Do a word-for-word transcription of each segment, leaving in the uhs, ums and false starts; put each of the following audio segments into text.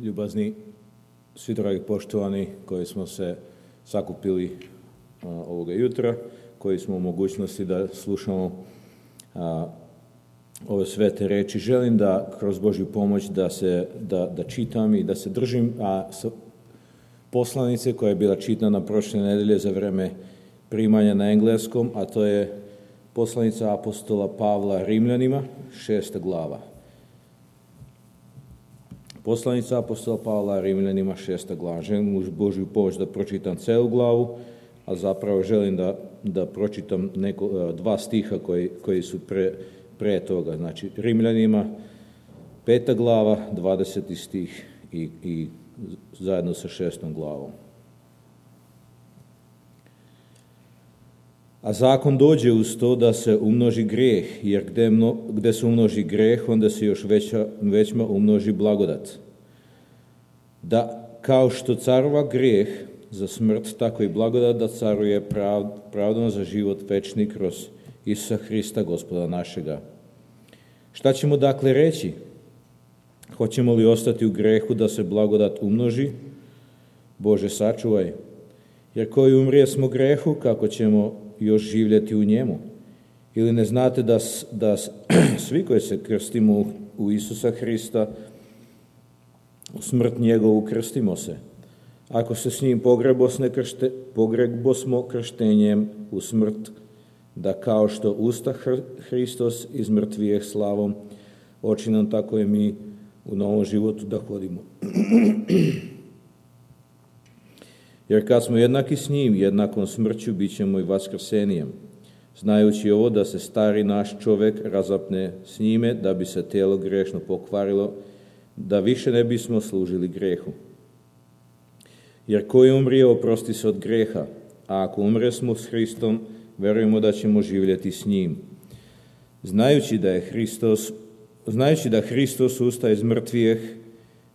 Ljubazni, svi dragi poštovani koji smo se sakupili a, ovoga jutra, koji smo u mogućnosti da slušamo a, ove svete reči. Želim da kroz Božju pomoć da se da, da čitam i da se držim a, poslanice koja je bila čitana prošle nedelje za vreme primanja na engleskom, a to je poslanica apostola Pavla Rimljanima, šesta glava. Poslanica apostola Pavla Rimljanima, šesta glava. Želim uz Božju pomoć da pročitam celu glavu, a zapravo želim da, da pročitam neko, dva stiha koji, koji su pre, pre toga. Znači, Rimljanima, peta glava, dvadeseti stih i, i zajedno sa šestom glavom. A zakon dođe uz to da se umnoži grijeh, jer gde, mno, gde se umnoži grijeh, onda se još veća, većma umnoži blagodat. Da kao što carova grijeh za smrt, tako i blagodat da caruje prav, pravdom za život večni kroz Isusa Hrista, Gospoda našega. Šta ćemo dakle reći? Hoćemo li ostati u grehu da se blagodat umnoži? Bože, sačuvaj. Jer koji umrije smo grehu, kako ćemo još živjeti u njemu? Ili ne znate da, da svi koji se krstimo u Isusa Hrista, u smrt njegovu krstimo se? Ako se s njim pogrebosne kršte, pogrebosmo krštenjem u smrt, da kao što usta Hristos iz mrtvijeh slavom, oči nam tako i mi u novom životu da hodimo. Jer kad smo jednaki s njim, jednakom smrću, bit ćemo i vaskrsenijem, znajući ovo da se stari naš čovjek razapne s njime, da bi se tijelo grešno pokvarilo, da više ne bismo služili grehu. Jer koji umrije, oprosti se od greha, a ako umre smo s Hristom, verujemo da ćemo živjeti s njim. Znajući da je Hristos, znajući da Hristos ustaje iz mrtvijeh,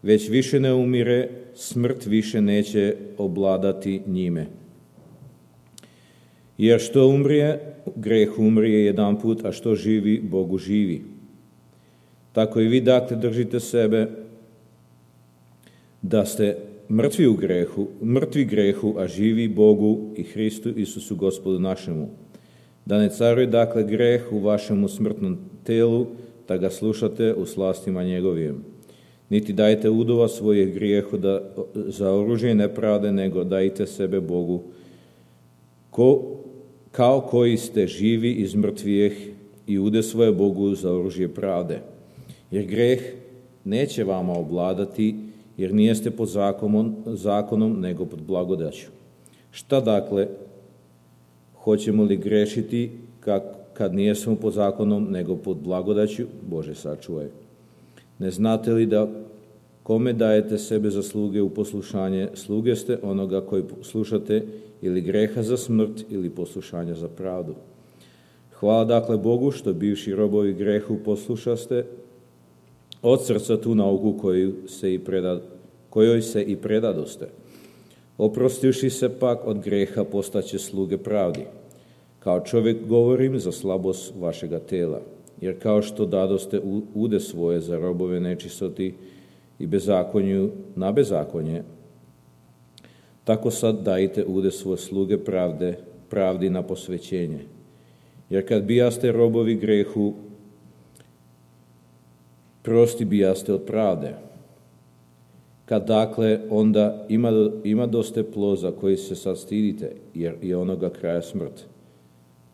već više ne umire, smrt više neće obladati njime. Jer što umrije, greh umrije jedan put, a što živi, Bogu živi. Tako i vi dakle držite sebe da ste mrtvi u grehu, mrtvi grehu, a živi Bogu i Hristu Isusu Gospodu našemu. Da ne caruje dakle greh u vašemu smrtnom telu, da ga slušate u slastima njegovim. Niti dajte udova svojih grijehu da, za oružje nepravde, nego dajte sebe Bogu, ko, kao koji ste živi iz mrtvijeh i ude svoje Bogu za oružje pravde. Jer greh neće vama obladati, jer nijeste pod zakonom, zakonom nego pod blagodaću. Šta dakle, hoćemo li grešiti kak, kad nijesmo pod zakonom nego pod blagodaću? Bože, sačuvaj. Ne znate li da kome dajete sebe za sluge u poslušanje, sluge ste onoga koji slušate, ili greha za smrt ili poslušanja za pravdu. Hvala dakle Bogu što bivši robovi grehu poslušaste od srca tu nauku koju se i preda, kojoj se i predadoste. Oprostivši se pak od greha postaće sluge pravdi. Kao čovjek govorim za slabost vašega tela. Jer kao što dadoste ude svoje za robove nečistoti i bezakonju na bezakonje, tako sad dajte ude svoje sluge pravde, pravdi na posvećenje. Jer kad bijaste robovi grehu, prosti bijaste od pravde. Kad dakle onda ima, ima doste ploza koji se sad stidite, jer je onoga kraja smrt.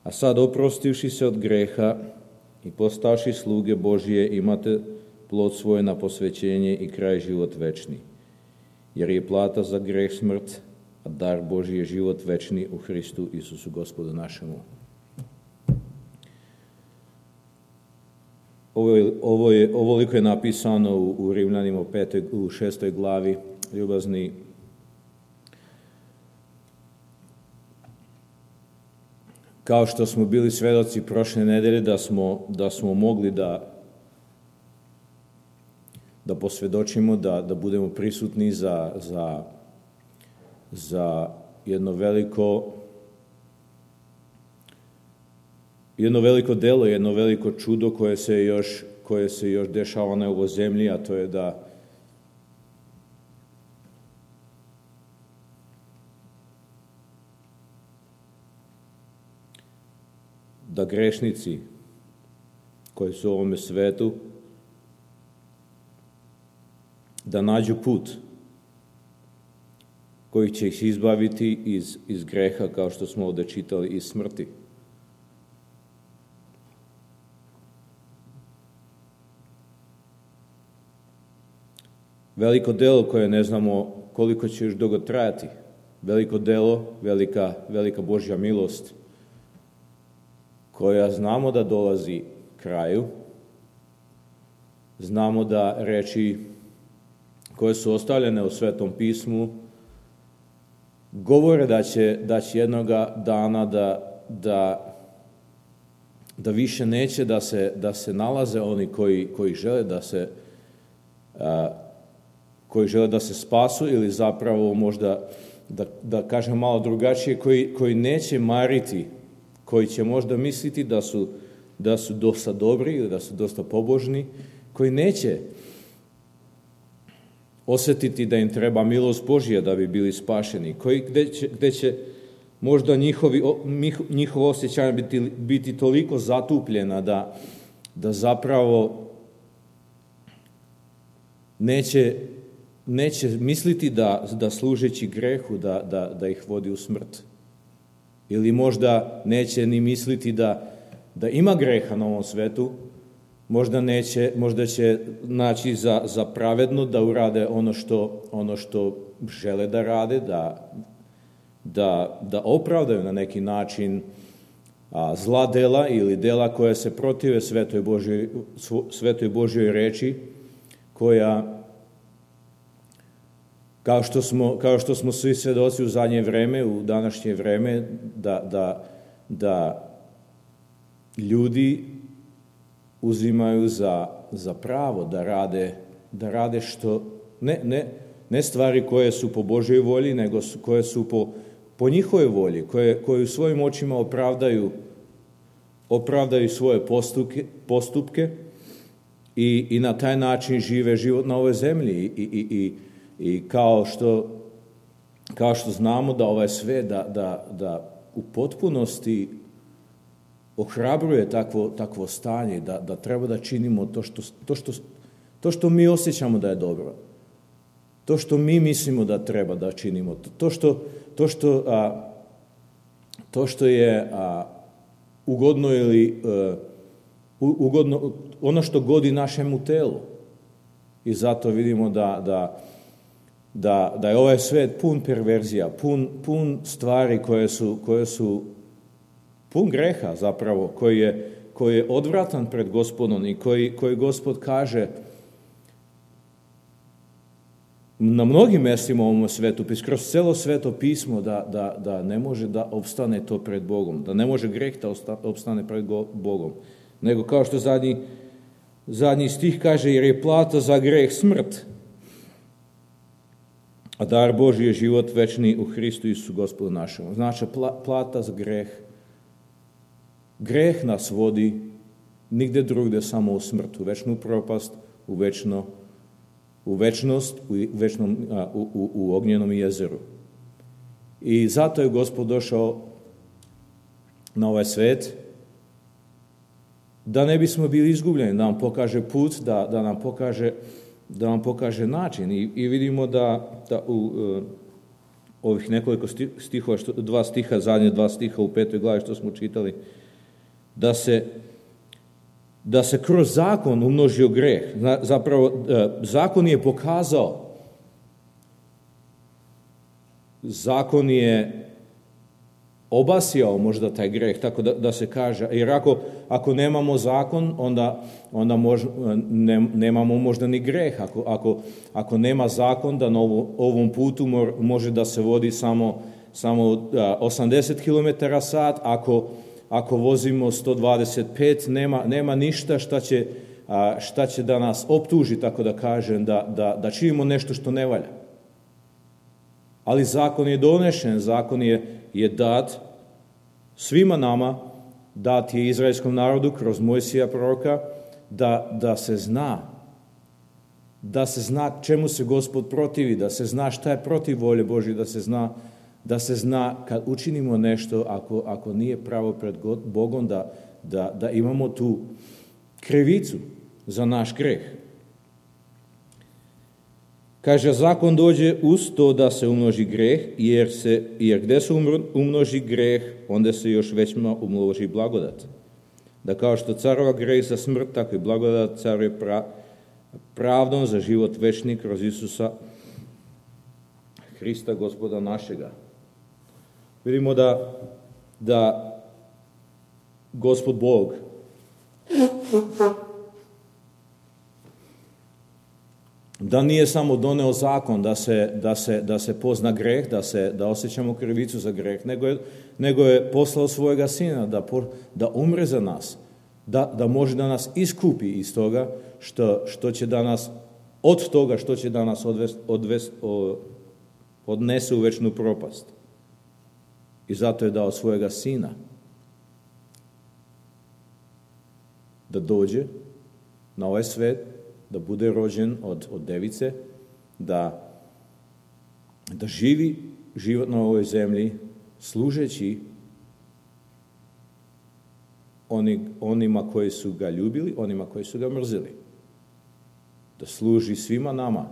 A sad oprostivši se od greha i postavši sluge Božije, imate plod svoje na posvećenje i kraj život večni. Jer je plata za greh smrt, a dar Božji je život večni u Hristu Isusu Gospodu našemu. Ovo je, ovo je, ovoliko je napisano u, u Rimljanima petoj, u šestoj glavi, ljubazni. Kao što smo bili svedoci prošle nedelje da smo, da smo mogli da, da posvjedočimo, da, da budemo prisutni za, za, za jedno veliko jedno veliko delo, jedno veliko čudo koje se još, koje se još dešava na ovoj zemlji, a to je da da grešnici koji su u ovome svetu da nađu put koji će ih izbaviti iz, iz greha, kao što smo ovdje čitali, iz smrti. Veliko delo koje ne znamo koliko će još dugo trajati. Veliko delo, velika, velika Božja milost, koja znamo da dolazi kraju. Znamo da reči koje su ostavljene u Svetom pismu govore da će, da će jednoga dana da, da, da više neće da se, da se nalaze oni koji, koji žele da se a, koji žele da se spasu, ili zapravo možda, da, da kažem malo drugačije, koji, koji neće mariti, koji će možda misliti da su, da su dosta dobri ili da su dosta pobožni, koji neće osjetiti da im treba milost Božja da bi bili spašeni, koji, gde će, gde će možda njihovi, njihovo osjećanje biti, biti toliko zatupljena da, da zapravo neće, neće misliti da, da služeći grehu da, da, da ih vodi u smrt. Ili možda neće ni misliti da, da ima greha na ovom svetu, možda, neće, možda će naći za, za pravedno da urade ono što, ono što žele da rade, da, da, da opravdaju na neki način a, zla dela ili dela koja se protive Svetoj Božjoj, Svetoj Božjoj reči, koja, kao što smo, kao što smo svi svedoci u zadnje vreme, u današnje vreme, da, da, da ljudi uzimaju za, za pravo da rade, da rade što, ne, ne, ne stvari koje su po Božjoj volji, nego su, koje su po, po njihovoj volji, koje, koje u svojim očima opravdaju, opravdaju svoje postupke, postupke i, i na taj način žive život na ovoj zemlji. I, i, i, i kao, što, kao što znamo da ovaj svet, da, da, da u potpunosti ohrabruje takvo, takvo stanje, da, da treba da činimo to što, to, što, to što mi osjećamo da je dobro, to što mi mislimo da treba da činimo, to što, to što, a, to što je a, ugodno ili a, ugodno, ono što godi našemu telu. I zato vidimo da, da, da, da je ovaj svet pun perverzija, pun, pun stvari koje su, koje su pun greha zapravo, koji je, koji je odvratan pred Gospodom i koji, koji Gospod kaže na mnogim mjestima u ovom svetu, kroz celo Sveto pismo, da, da, da ne može da opstane to pred Bogom, da ne može greh da opstane pred Bogom. Nego kao što zadnji, zadnji stih kaže, jer je plata za greh smrt, a dar Božji je život večni u Hristu Isusu Gospodu našemu. Znači, plata za greh. Greh nas vodi nigde drugde, samo u smrt, u večnu propast, u, večno, u večnost, u, večnom, a, u, u, u ognjenom jezeru. I zato je Gospod došao na ovaj svet, da ne bismo bili izgubljeni, da nam pokaže put, da, da, nam, pokaže, da nam pokaže način. I, i vidimo da, da u uh, ovih nekoliko stihova, što, dva stiha, zadnje dva stiha u petoj glavi što smo čitali, da se, da se kroz zakon umnožio greh. Zapravo, zakon je pokazao, zakon je obasjao možda taj greh, tako da, da se kaže. Jer ako, ako nemamo zakon, onda, onda mož, ne, nemamo možda ni greh. Ako, ako, ako nema zakon, da na ovom putu mor, može da se vodi samo, samo osamdeset kilometara sat, ako Ako vozimo sto dvadeset pet, nema, nema ništa šta će, a, šta će da nas optuži, tako da kažem, da, da, da činimo nešto što ne valja. Ali zakon je donešen, zakon je, je dat svima nama, dat je izraelskom narodu kroz Mojsija proroka, da, da se zna, da se zna čemu se Gospod protivi, da se zna šta je protiv volje Božje, da se zna da se zna kad učinimo nešto, ako, ako nije pravo pred Bogom, da, da, da imamo tu krivicu za naš greh. Kaže, zakon dođe uz to da se umnoži greh, jer, se, jer gdje se umnoži greh, onda se još većma umnoži blagodat. Da kao što carova greh za smrt, tako i blagodat caruje pra, pravdom za život večni kroz Isusa Hrista, Gospoda našega. Vidimo da, da Gospod Bog da nije samo doneo zakon da se, da se, da se pozna greh, da, se, da osjećamo krivicu za greh, nego je, nego je poslao svojega sina da, da umre za nas, da, da može da nas iskupi iz toga što, što će da nas, od toga što će da nas odvest, odvest, odnese u večnu propast. I zato je dao svojega sina da dođe na ovaj svet, da bude rođen od, od device, da, da živi život na ovoj zemlji, služeći oni, onima koji su ga ljubili, onima koji su ga mrzili. Da služi svima nama,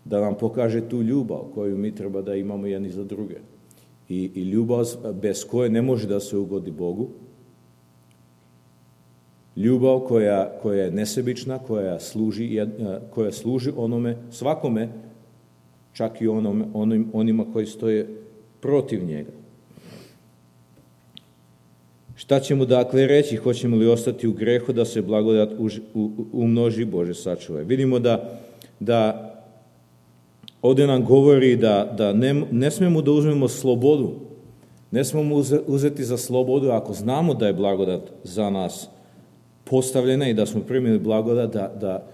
da nam pokaže tu ljubav koju mi treba da imamo jedni za druge. I, i ljubav bez koje ne može da se ugodi Bogu. Ljubav koja, koja je nesebična, koja služi, koja služi onome, svakome, čak i onome, onim, onima koji stoje protiv njega. Šta ćemo dakle reći? Hoćemo li ostati u grehu da se blagodat umnoži? Bože sačuvaj. Vidimo da, da ovdje nam govori da, da ne, ne smemo da uzmemo slobodu. Ne smemo uzeti za slobodu ako znamo da je blagodat za nas postavljena i da smo primili blagodat, da, da,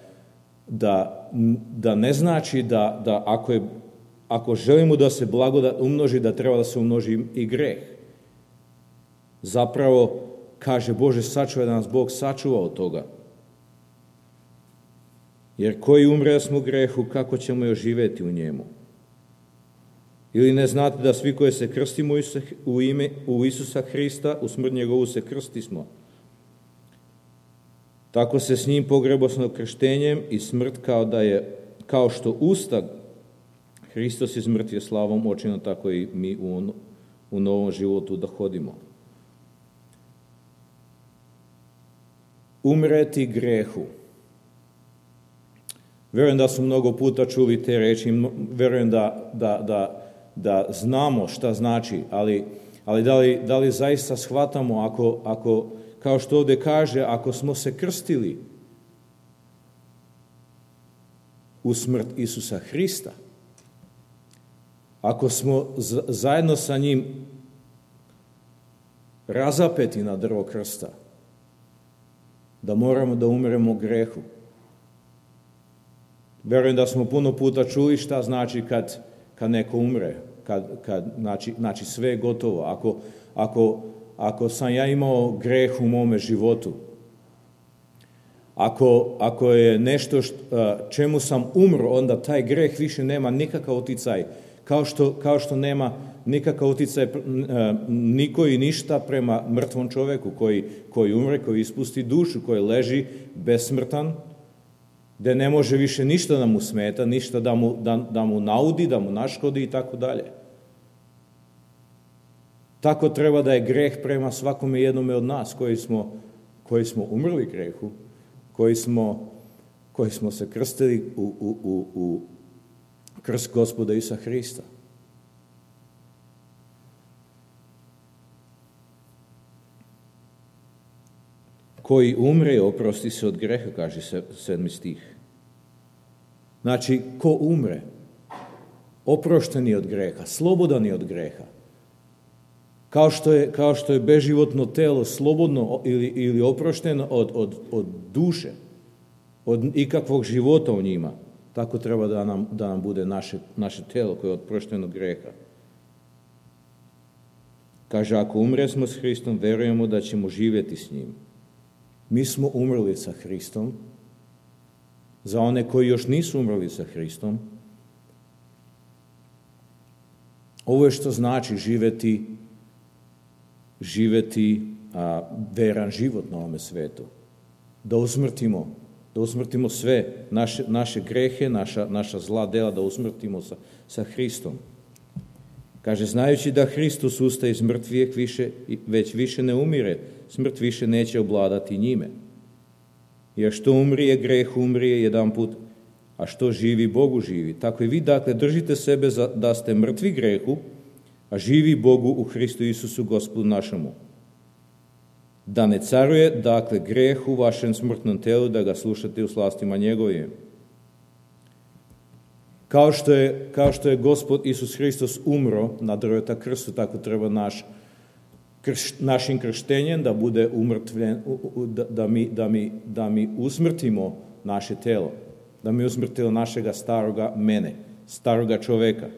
da, da ne znači da, da ako, je, ako želimo da se blagodat umnoži, da treba da se umnoži i greh. Zapravo, kaže Bože, sačuvaj da nas Bog sačuva od toga. Jer koji umre da smo u grehu, kako ćemo još živjeti u njemu? Ili ne znate da svi koji se krstimo u ime u Isusa Hrista, u smrt njegovu se krstismo. Tako se s njim pogrebosno krštenjem i smrt kao da je, kao što usta Hristos iz mrtve slavom očino, tako i mi u, u novom životu da hodimo. Umreti grehu. Vjerujem da smo mnogo puta čuli te reči, vjerujem da, da, da, da znamo šta znači, ali, ali da, li, da li zaista shvatamo ako, ako kao što ovdje kaže, ako smo se krstili u smrt Isusa Hrista, ako smo zajedno sa njim razapeti na drvo krsta, da moramo da umremo grehu. Vjerujem da smo puno puta čuli šta znači kad, kad neko umre, kad, kad znači, znači sve je gotovo. Ako, ako Ako sam ja imao greh u mome životu, ako, ako je nešto št, čemu sam umro, onda taj greh više nema nikakav uticaj, kao što, kao što nema nikakav uticaj niko i ništa prema mrtvom čovjeku koji, koji umre, koji ispusti dušu, koji leži besmrtan, gdje ne može više ništa da mu smeta, ništa da mu, da, da mu naudi, da mu naškodi i tako dalje. Tako treba da je greh prema svakome jednome od nas koji smo, koji smo umrli grehu, koji smo, koji smo se krstili u, u, u, u krst Gospoda Isusa Hrista. Koji umre, oprosti se od greha, kaže sedmi stih. Znači, ko umre, oprošten je od greha, slobodan je od greha. Kao što je, kao što je beživotno telo slobodno ili, ili oprošteno od, od, od duše, od ikakvog života u njima, tako treba da nam, da nam bude naše, naše telo koje je oprošteno od greha. Kaže, ako umresmo s Hristom, verujemo da ćemo živjeti s njim. Mi smo umrli sa Hristom. Za one koji još nisu umrli sa Hristom, ovo je što znači živjeti živjeti a, veran život na ovome svetu. Da usmrtimo, da usmrtimo sve naše, naše grehe, naša, naša zla dela, da usmrtimo sa, sa Hristom. Kaže, znajući da Hristos ustaje iz mrtvijeg više, već više ne umire, smrt više neće obladati njime. Jer što umrije, greh umrije jedan put, a što živi, Bogu živi. Tako i vi, dakle, držite sebe za, da ste mrtvi grehu, a živi Bogu u Hristu Isusu, Gospodu našemu. Da ne caruje, dakle, greh u vašem smrtnom telu, da ga slušate u slastima njegovim. Kao što je, kao što je Gospod Isus Hristos umro na drveta krstu, tako treba naš, krš, našim krštenjem da bude umrtvljen, da, da, mi, da, mi, da mi usmrtimo naše telo, da mi usmrtimo našega staroga mene, staroga čoveka.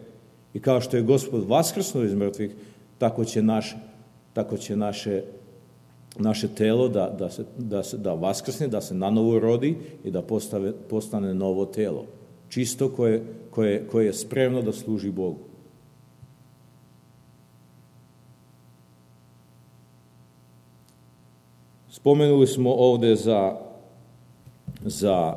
I kao što je Gospod vaskrsnuo iz mrtvih, tako će, naš, tako će naše, naše telo da, da, se, da, se, da vaskrsne, da se nanovo rodi i da postave, postane novo telo. Čisto koje, koje, koje je spremno da služi Bogu. Spomenuli smo ovde za, za,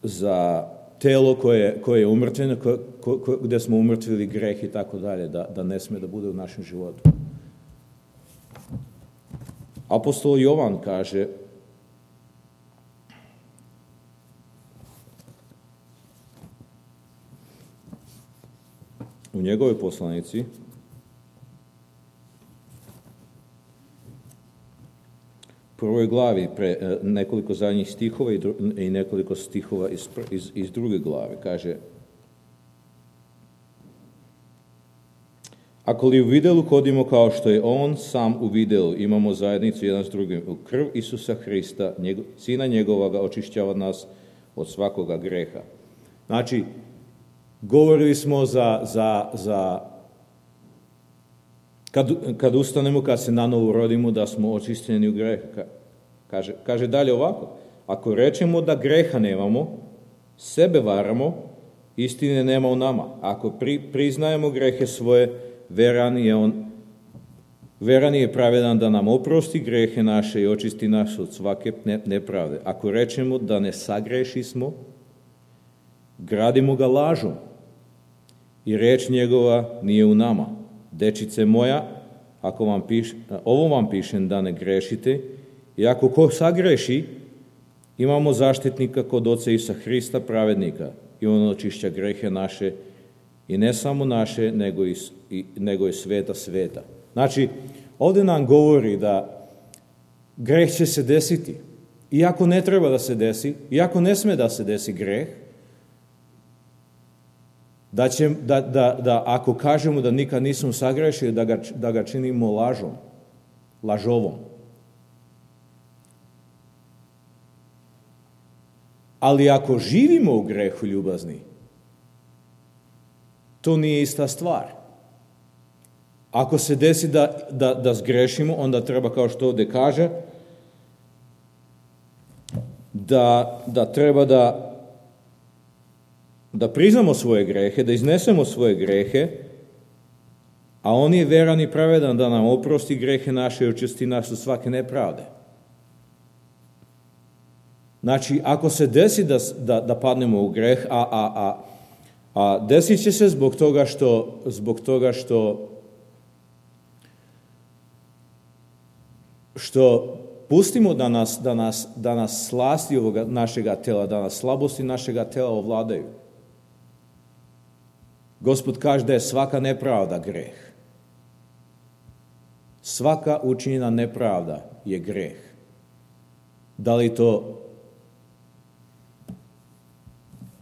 za telo koje, koje je umrtveno, ko, ko, gde smo umrtvili greh i tako dalje, da, da ne sme da bude u našem životu. Apostol Jovan kaže u njegovoj poslanici prvoj glavi, pre, nekoliko zadnjih stihova i, dru, i nekoliko stihova iz, iz, iz druge glave, kaže: Ako li u videlu hodimo kao što je on sam u videlu, imamo zajednicu jedan s drugim. U krv Isusa Hrista, njego, Sina njegovoga, očišćava nas od svakoga greha. Znači, govorili smo za, za, za kad, kad ustanemo, kad se nanovo rodimo, da smo očišćeni u greh. Kaže, kaže dalje ovako: ako rečemo da greha nemamo, sebe varamo, istine nema u nama. Ako pri, priznajemo grehe svoje, veran je on, veran je pravedan da nam oprosti grehe naše i očisti nas od svake nepravde. Ako rečemo da ne sagreši smo, gradimo ga lažom i reč njegova nije u nama. Dečice moja, ako vam piš, ovo vam pišem da ne grešite, i ako ko sagreši, imamo zaštitnika kod Oca Isusa Hrista, pravednika, i on očišća grehe naše, i ne samo naše, nego i, i, nego i sveta sveta. Znači, ovdje nam govori da greh će se desiti, iako ne treba da se desi, iako ne sme da se desi greh, da, će, da, da, da ako kažemo da nikad nismo sagrešili, da ga, da ga činimo lažom, lažovom. Ali ako živimo u grehu, ljubazni, to nije ista stvar. Ako se desi da, da, da zgrešimo, onda treba, kao što ovdje kaže, da, da treba da da priznamo svoje grehe, da iznesemo svoje grehe, a on je veran i pravedan da nam oprosti grehe naše i očisti nas od svake nepravde. Znači, ako se desi da, da, da padnemo u greh, a, a, a, a desit će se zbog toga što, zbog toga što, što pustimo da nas, da nas, da nas slasti ovoga našega tela, da nas slabosti našega tela ovladaju. Gospod kaže da je svaka nepravda greh. Svaka učinjena nepravda je greh. Da li to,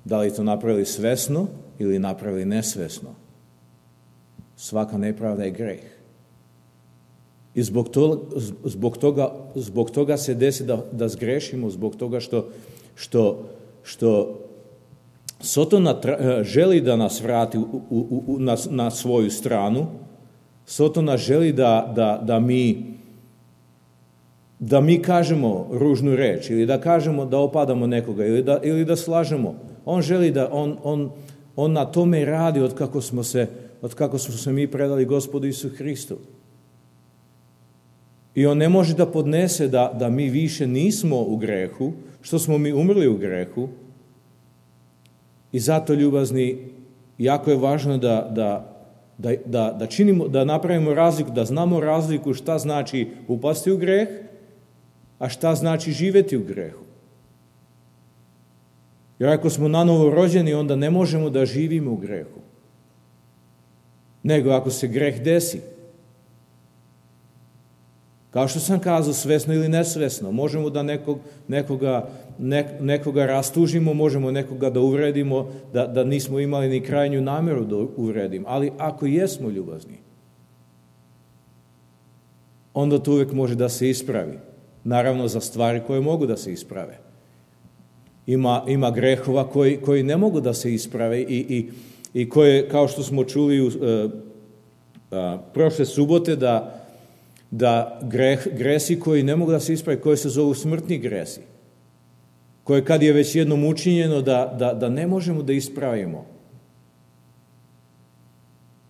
da li to napravili svesno ili napravili nesvesno? Svaka nepravda je greh. I zbog toga, zbog toga, zbog toga se desi da, da zgrešimo, zbog toga što, što, što Sotona želi da nas vrati u, u, u, na, na svoju stranu. Sotona želi da, da, da, mi, da mi kažemo ružnu reč ili da kažemo da opadamo nekoga ili da, ili da slažemo. On želi da, on, on, on na tome radi od kako smo se, od kako smo se mi predali Gospodu Isu Hristu. I on ne može da podnese da, da mi više nismo u grehu, što smo mi umrli u grehu. I zato, ljubazni, jako je važno da, da, da, da, da, činimo, da napravimo razliku, da znamo razliku šta znači upasti u greh, a šta znači živjeti u grehu. Jer ako smo nanovo rođeni, onda ne možemo da živimo u grehu. Nego ako se greh desi. Kao što sam kazao, svesno ili nesvesno, možemo da nekog, nekoga, nek, nekoga rastužimo, možemo nekoga da uvredimo, da, da nismo imali ni krajnju namjeru da uvredimo. Ali ako jesmo ljubazni, onda to uvijek može da se ispravi. Naravno za stvari koje mogu da se isprave. Ima, ima grehova koji, koji ne mogu da se isprave i, i, i koje, kao što smo čuli u, uh, uh, prošle subote, da da greh, gresi koji ne mogu da se ispravi, koji se zovu smrtni gresi, koje kad je već jednom učinjeno da, da, da ne možemo da ispravimo.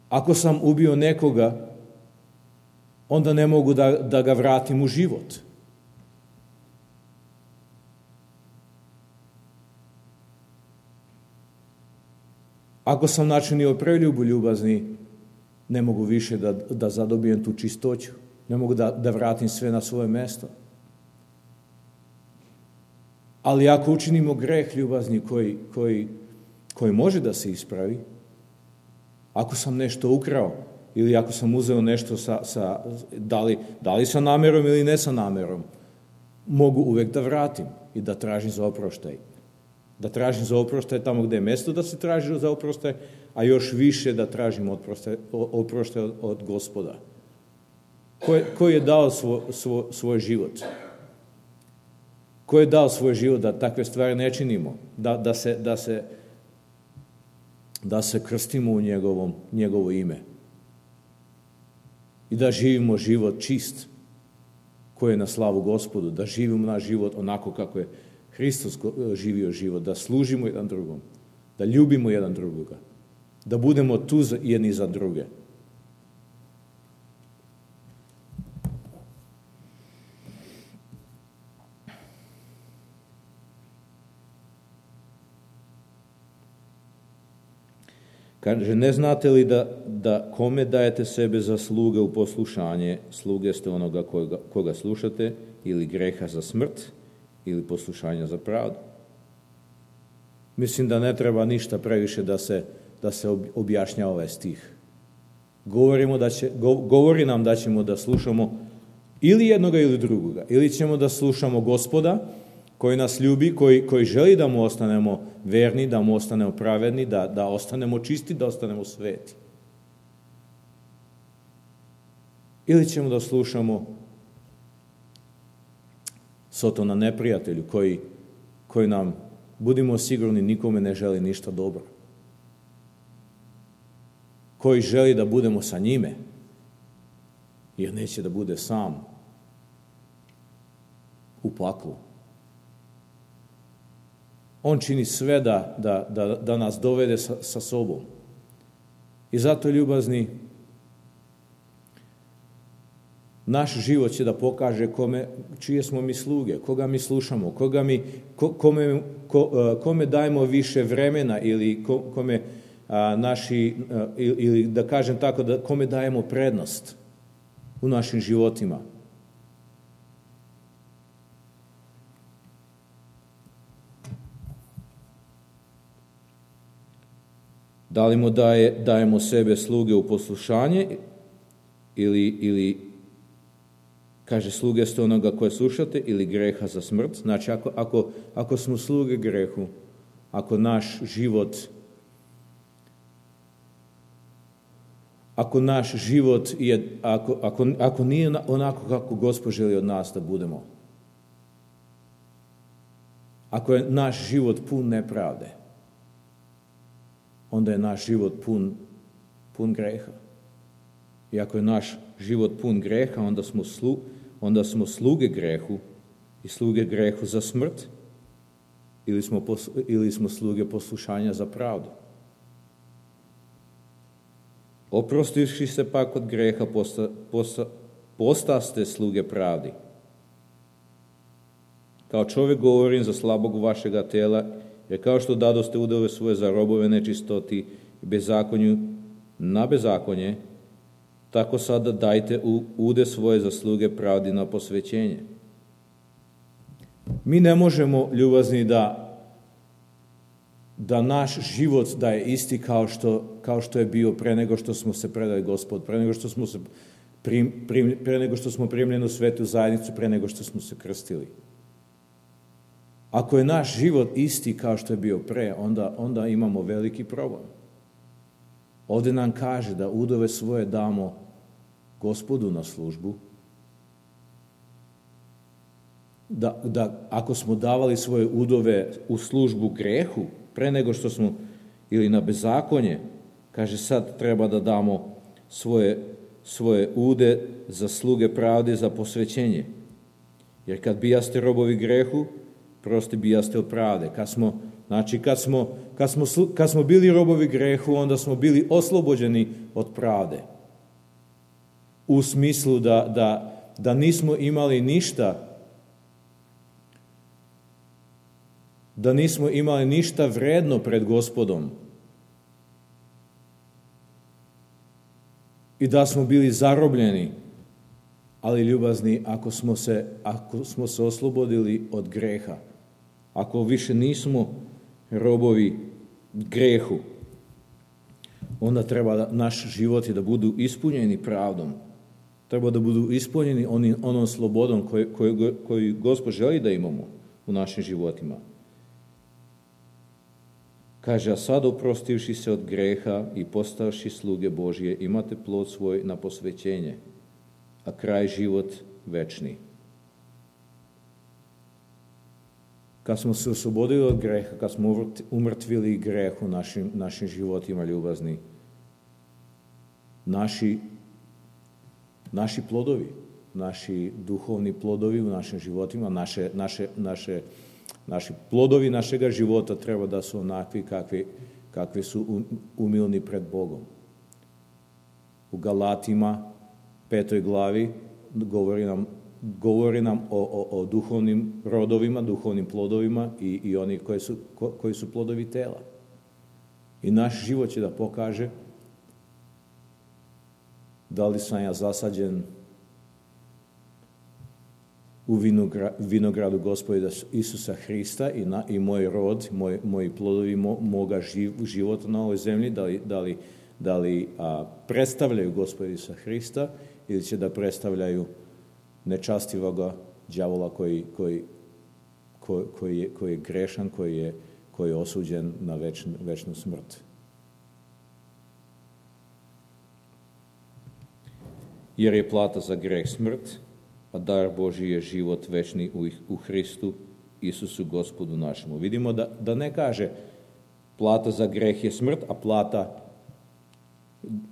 Ako sam ubio nekoga, onda ne mogu da, da ga vratim u život. Ako sam načinio preljubu, ljubazni, ne mogu više da, da zadobijem tu čistoću. Ne mogu da, da vratim sve na svoje mjesto. Ali ako učinimo greh, ljubazni, koji, koji, koji može da se ispravi, ako sam nešto ukrao ili ako sam uzeo nešto sa, sa da, li, da li sa namjerom ili ne sa namjerom, mogu uvijek da vratim i da tražim za oproštaj. Da tražim za oproštaj tamo gdje je mjesto da se traži za oproštaj, a još više da tražim oproštaj, oproštaj od, od Gospoda. Ko, ko je dao svo, svo, svoj život? Ko je dao svoj život da takve stvari ne činimo? Da, da, se, da, se, da se krstimo u njegovom, njegovo ime. I da živimo život čist, koji je na slavu Gospodu. Da živimo naš život onako kako je Hristos živio život. Da služimo jedan drugom. Da ljubimo jedan drugoga. Da budemo tu jedni za druge. Kaže, ne znate li da, da kome dajete sebe za sluge u poslušanje, sluge ste onoga koga, koga slušate, ili greha za smrt, ili poslušanja za pravdu? Mislim da ne treba ništa previše da se, da se objašnja ovaj stih. Govorimo da će, govori nam da ćemo da slušamo ili jednoga ili drugoga. Ili ćemo da slušamo Gospoda, koji nas ljubi, koji, koji želi da mu ostanemo verni, da mu ostanemo pravedni, da, da ostanemo čisti, da ostanemo sveti. Ili ćemo da slušamo Sotona neprijatelju, koji, koji nam, budimo sigurni, nikome ne želi ništa dobro. Koji želi da budemo sa njime, jer neće da bude sam u paklu. On čini sve da, da, da, da nas dovede sa, sa sobom. I zato, ljubazni, naš život će da pokaže kome, čije smo mi sluge, koga mi slušamo, koga mi, ko, kome, ko, kome dajemo više vremena ili ko, kome a, naši, a, ili da kažem tako, da kome dajemo prednost u našim životima. Da li mu daje, dajemo sebe sluge u poslušanje ili, ili kaže sluge ste onoga koje slušate ili greha za smrt. Znači ako, ako, ako smo sluge grehu, ako naš život ako naš život je, ako, ako, ako nije onako kako Gospod želi od nas da budemo, ako je naš život pun nepravde, onda je naš život pun, pun greha. I ako je naš život pun greha, onda smo, slu, onda smo sluge grehu i sluge grehu za smrt ili smo, pos, ili smo sluge poslušanja za pravdu. Oprostivši se pak od greha, posta, posta, postaste sluge pravdi. Kao čovjek govorim za slabog vašega tela, jer kao što dadoste udove svoje za robove nečistoti i bezakonju na bezakonje, tako sada dajte ude svoje za sluge pravdi na posvećenje. Mi ne možemo, ljubazni, da da naš život da je isti kao što, kao što je bio pre nego što smo se predali Gospod, pre nego što smo se prim, prim, pre nego što smo primljeni u svetu zajednicu, pre nego što smo se krstili. Ako je naš život isti kao što je bio pre, onda, onda imamo veliki problem. Ovdje nam kaže da udove svoje damo Gospodu na službu, da, da ako smo davali svoje udove u službu grehu, pre nego što smo, ili na bezakonje, kaže sad treba da damo svoje, svoje ude za sluge pravde, za posvećenje. Jer kad bijaste robovi grehu, prosti bijaste od pravde. Kad smo, znači kad smo, kad smo, kad smo bili robovi grehu, onda smo bili oslobođeni od pravde. U smislu da, da, da nismo imali ništa da nismo imali ništa vredno pred Gospodom i da smo bili zarobljeni, ali ljubazni, ako smo se, ako smo se oslobodili od greha, ako više nismo robovi grehu, onda treba da naš životi da budu ispunjeni pravdom, treba da budu ispunjeni onim, onom slobodom koju, koju, koju Gospod želi da imamo u našim životima. Kaže, a sad oprostivši se od greha i postavši sluge Božje, imate plod svoj na posvećenje, a kraj život večni. Kad smo se oslobodili od greha, kad smo umrtvili greh u našim, našim životima, ljubazni, naši, naši plodovi, naši duhovni plodovi u našim životima, naše, naše, naše Naši plodovi našega života treba da su onakvi kakvi, kakvi su umilni pred Bogom. U Galatima, petoj glavi, govori nam, govori nam o, o, o duhovnim rodovima, duhovnim plodovima i, i oni koji su, ko, koji su plodovi tela. I naš život će da pokaže da li sam ja zasađen u vinogradu Gospoda Isusa Hrista i, na, i moj rod, moj, moji plodovi mo, moga živ, života na ovoj zemlji, da li, da li, da li a, predstavljaju Gospoda Isusa Hrista ili će da predstavljaju nečastivoga đavola koji, koji, koji, koji, je, koji je grešan, koji je, koji je osuđen na večn, večnu smrt. Jer je plata za greh smrt, a dar Božji je život večni u, u Hristu, Isusu Gospodu našemu. Vidimo da, da ne kaže plata za greh je smrt, a plata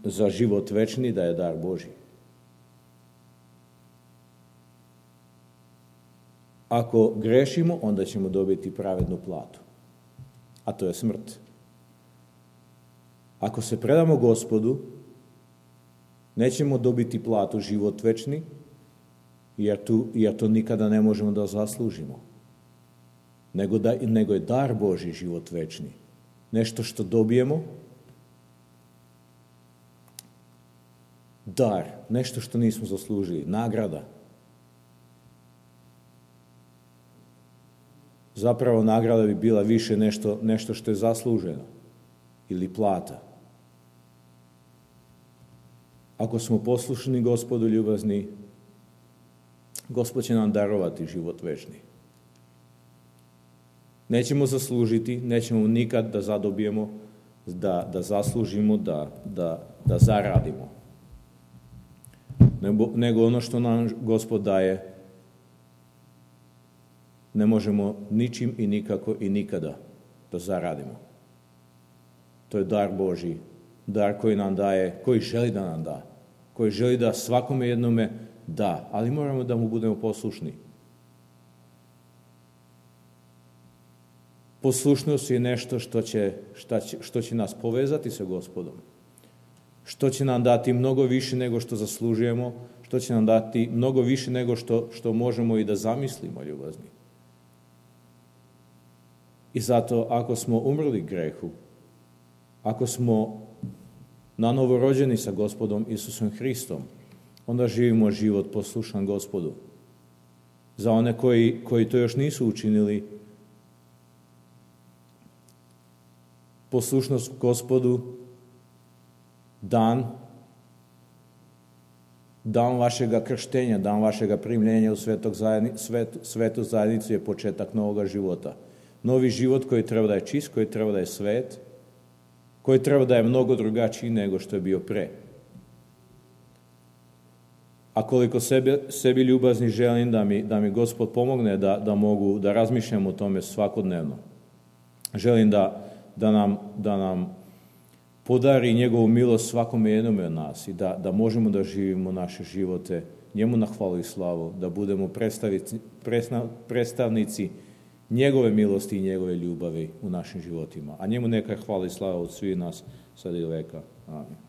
za život večni da je dar Božji. Ako grešimo, onda ćemo dobiti pravednu platu, a to je smrt. Ako se predamo Gospodu, nećemo dobiti platu život večni, jer, tu, jer to nikada ne možemo da zaslužimo. Nego, da, nego je dar Božji život večni. Nešto što dobijemo, dar, nešto što nismo zaslužili, nagrada. Zapravo nagrada bi bila više nešto, nešto što je zasluženo ili plata. Ako smo poslušni Gospodu ljubazni, Gospod će nam darovati život večni. Nećemo zaslužiti, nećemo nikad da zadobijemo, da, da zaslužimo, da, da, da zaradimo. Nego, nego ono što nam Gospod daje, ne možemo ničim i nikako i nikada da zaradimo. To je dar Božji, dar koji nam daje, koji želi da nam da, koji želi da svakome jednome da, ali moramo da mu budemo poslušni. Poslušnost je nešto što će, što će, što će nas povezati sa Gospodom. što će nam dati mnogo više nego što zaslužujemo, što će nam dati mnogo više nego što, što možemo i da zamislimo, ljubazni. I zato, ako smo umrli grehu, ako smo nanovo rođeni sa Gospodom Isusom Hristom, onda živimo život poslušan Gospodu. Za one koji, koji to još nisu učinili, poslušnost Gospodu, dan, dan vašega krštenja, dan vašega primljenja u svetog zajedni, svet, svetu zajednicu je početak novoga života. Novi život koji treba da je čist, koji treba da je svet, koji treba da je mnogo drugačiji nego što je bio pre. A koliko sebi, sebi ljubazni želim da mi, da mi Gospod pomogne da, da mogu da razmišljam o tome svakodnevno. Želim da, da, nam, da nam podari njegovu milost svakome jednome od nas i da, da možemo da živimo naše živote njemu na hvalu i slavu, da budemo predstavnici, predstavnici njegove milosti i njegove ljubavi u našim životima. A njemu neka je hvala i slava od svih nas sad i do veka. Amen.